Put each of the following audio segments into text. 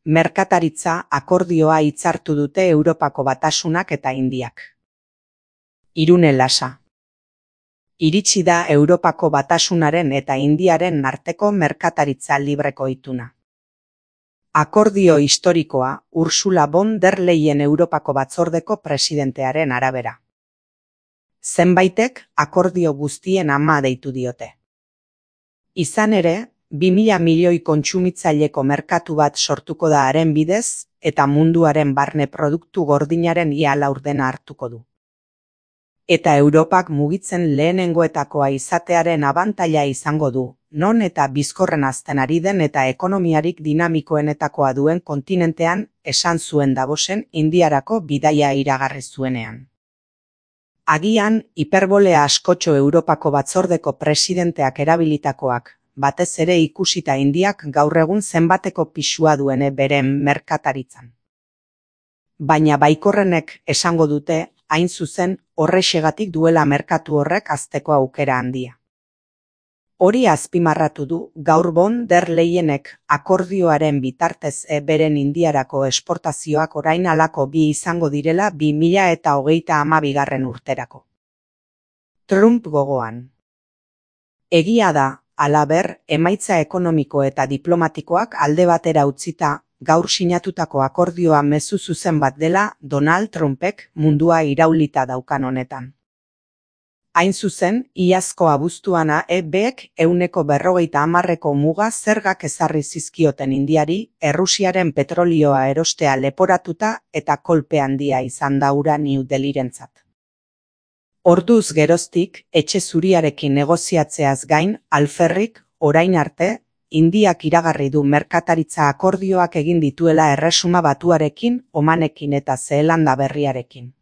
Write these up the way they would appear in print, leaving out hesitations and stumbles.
merkataritza akordioa hitzartu dute Europako Batasunak eta Indiak. Irune Lasa. Iritsi da Europako Batasunaren eta Indiaren arteko merkataritza libreko ituna. Akordio historikoa Ursula von der Leyen Europako Batzordeko presidentearen arabera. Zenbaitek akordio guztien ama deitu diote. Izan ere, 2000 milioi kontsumitzaileko merkatu bat sortuko da haren bidez eta munduaren barne produktu gordinaren ia laurdena hartuko du. Eta Europak mugitzen lehenengoetakoa izatearen abantaila izango du, non eta bizkorren hazten ari den eta ekonomiarik dinamikoenetakoa duen kontinentean, esan zuen Davosen Indiarako bidaia iragarri zuenean. Agian, hiperbolea askotxo Europako Batzordeko presidenteak erabilitakoak, batez ere ikusita Indiak gaur egun zenbateko pisua duene beren merkataritzan. Baina baikorrenek esango dute, hain zuzen, horrexegatik duela merkatu horrek hazteko aukera handia. Hori azpimarratu du gaur von der Leyenek akordioaren bitartez beren Indiarako esportazioak orain halako bi izango direla 2032 urterako. Trump gogoan. Egia da, halaber, emaitza ekonomiko eta diplomatikoak alde batera utzita, gaur sinatutako akordioa mezu zuzen bat dela Donald Trumpek mundua iraulita daukan honetan. Hain zuzen, iazko abuztuana EBek 150% muga zergak ezarri zizkioten Indiari, Errusiaren petrolioa erostea leporatuta eta kolpe handia izan da hura New Delhirentzat. Orduz geroztik, etxe zuriarekin negoziatzeaz gain, alferrik, orain arte, Indiak iragarri du merkataritza akordioak egin dituela Erresuma Batuarekin, Omanekin eta Zeelanda Berriarekin.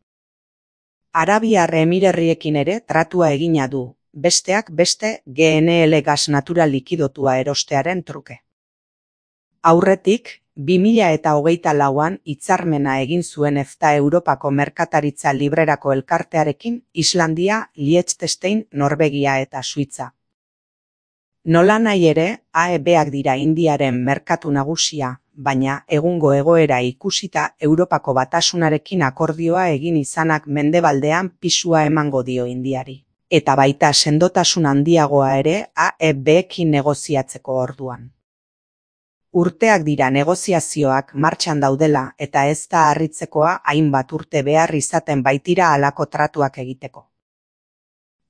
Arabiar Emirerriekin ere tratua egina du, besteak beste GNL gas natural likidotua erostearen truke. Aurretik, 2024an hitzarmena egin zuen EFTA Europako merkataritza librerako elkartearekin Islandia, Liechtenstein, Norvegia eta Suitza. Nolanahi ere, AEBak dira Indiaren merkatu nagusia, baina egungo egoera ikusita Europako Batasunarekin akordioa egin izanak mendebaldean pisua emango dio Indiari. Eta baita sendotasun handiagoa ere AEBekin negoziatzeko orduan. Urteak dira negoziazioak martxan daudela eta ez da harritzekoa hainbat urte behar izaten baitira halako tratuak egiteko.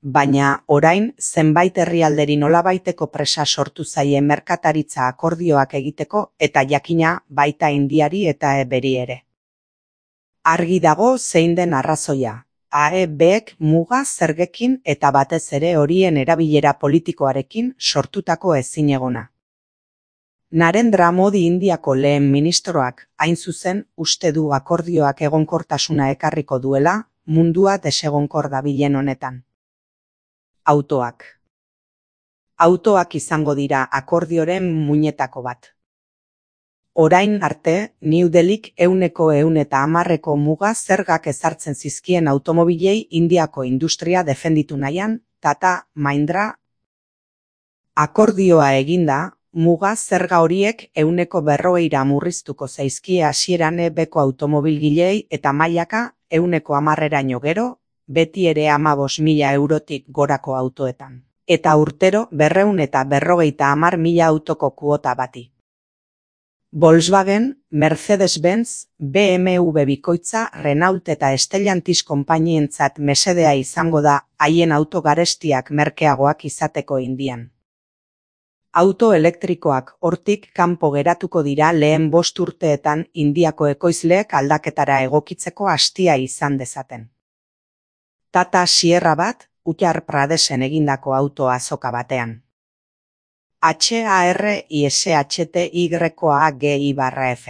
Baina, orain, zenbait herrialderi nolabaiteko presa sortu zaie merkataritza akordioak egiteko eta jakina baita Indiari eta EBeri ere. Argi dago zein den arrazoia, AEBek muga zergekin eta batez ere horien erabilera politikoarekin sortutako ezinegona. Narendra Modi Indiako lehen ministroak, hain zuzen, uste du akordioak egonkortasuna ekarriko duela, mundua desegonkor dabilen honetan. Autoak. Autoak izango dira akordioren muinetako bat. Orain arte, New Delhik 110% muga zergak ezartzen zizkien automobilei Indiako industria defenditu nahian, Tata, Mahindra. Akordioa eginda, muga zerga horiek 140% murriztuko zaizkie hasieran EBeko automobilgileei eta mailaka 110%raino gero, beti ere 15.000 eurotik gorako autoetan. Eta urtero 250.000 autoko kuota bati. Volkswagen, Mercedes-Benz, BMW bikoitza, Renault eta Stellantis konpainientzat mesedea izango da haien auto garestiak merkeagoak izateko Indian. Auto elektrikoak hortik kanpo geratuko dira lehen 5 urteetan Indiako ekoizleek aldaketara egokitzeko hastia izan dezaten. Tata Sierra bat, Uttar Pradesen egindako auto azoka batean. HARISHTYAGI/F.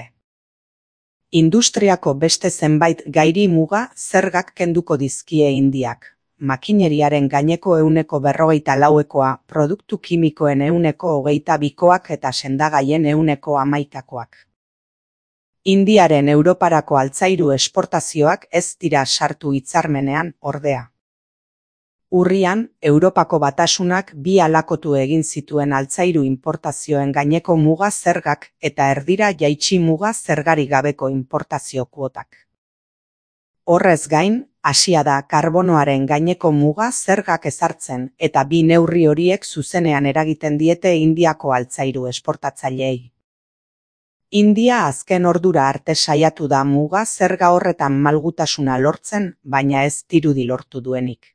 Industriako beste zenbait gairi muga zergak kenduko dizkie Indiak. Makineriaren gaineko 144%, produktu kimikoen 122% eta sendagaien 11%. Indiaren Europarako altzairu esportazioak ez dira sartu hitzarmenean, ordea. Urrian, Europako Batasunak 2 halakotu egin zituen altzairu inportazioen gaineko muga zergak eta erdira jaitsi muga zergarik gabeko inportazio kuotak. Horrez gain, hasia da karbonoaren gaineko muga zergak ezartzen eta 2 neurri horiek zuzenean eragiten diete Indiako altzairu esportatzaileei. India azken ordura arte saiatu da muga zerga horretan malgutasuna lortzen, baina ez dirudi lortu duenik.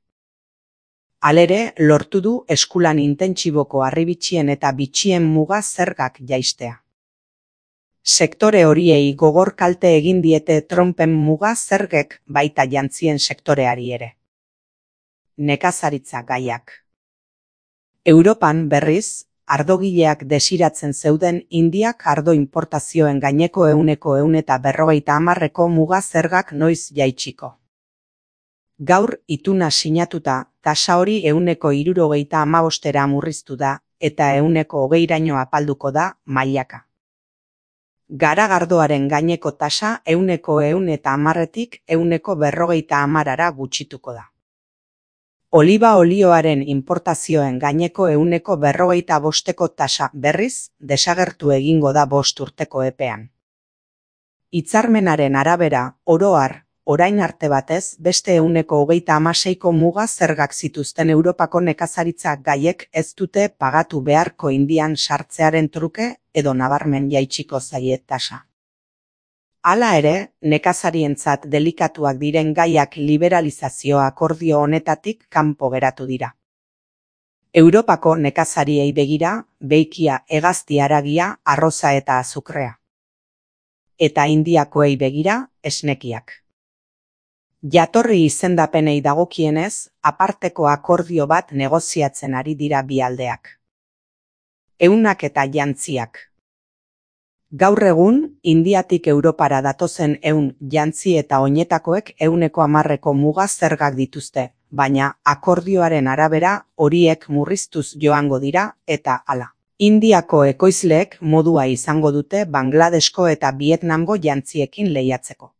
Halere, lortu du eskulan intentsiboko harribitxien eta bitxien muga zergak jaistea. Sektore horiei gogor kalte egin diete Trumpen muga zergek baita jantzien sektoreari ere. Nekazaritza gaiak. Europan berriz, ardogileak desiratzen zeuden Indiak ardo inportazioen gaineko 150% muga zergak noiz jaitsiko. Gaur ituna sinatuta, tasa hori 165%ra murriztu da, eta 120%raino apalduko da mailaka. Garagardoaren gaineko tasa 110%tik 150%ra gutxituko da. Oliba olioaren inportazioen gaineko 145%ko tasa berriz desagertu egingo da 5 urteko epean. Hitzarmenaren arabera, oro har, orain arte batez beste 136ko muga zergak zituzten Europako nekazaritza gaiek ez dute pagatu beharko Indian sartzearen truke edo nabarmen jaitsiko zaie tasa. Hala ere, nekazarientzat delikatuak diren gaiak liberalizazio akordio honetatik kanpo geratu dira. Europako nekazariei begira, beikia, hegazti haragia, arroza eta azukrea. Eta Indiakoei begira, esnekiak. Jatorri izendapenei dagokienez, aparteko akordio bat negoziatzen ari dira bi aldeak. Ehunak eta jantziak. Gaur egun, Indiatik Europara datozen ehun jantzi eta oinetakoek 110%ko muga zergak dituzte, baina akordioaren arabera horiek murriztuz joango dira eta hala. Indiako ekoizleek modua izango dute Bangladesko eta Vietnamgo jantziekin lehiatzeko.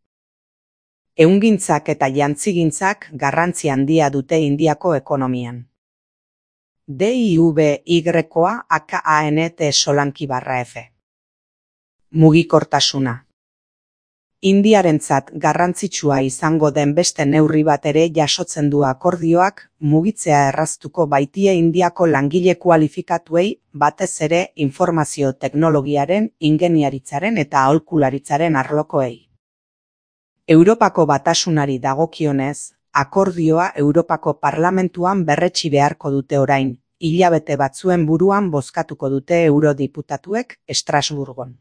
Ehungintzak eta jantzigintzak garrantzi handia dute Indiako ekonomian. DIVY-koa AKANT_F. Mugikortasuna. Indiarentzat garrantzitsua izango den beste neurri bat ere jasotzen du akordioak, mugitzea erraztuko baitie Indiako langile kualifikatuei, batez ere informazio teknologiaren, ingeniaritzaren eta aholkularitzaren arlokoei. Europako Batasunari dagokionez, akordioa Europako Parlamentuan berretsi beharko dute orain, hilabete batzuen buruan bozkatuko dute eurodiputatuek Estrasburgon.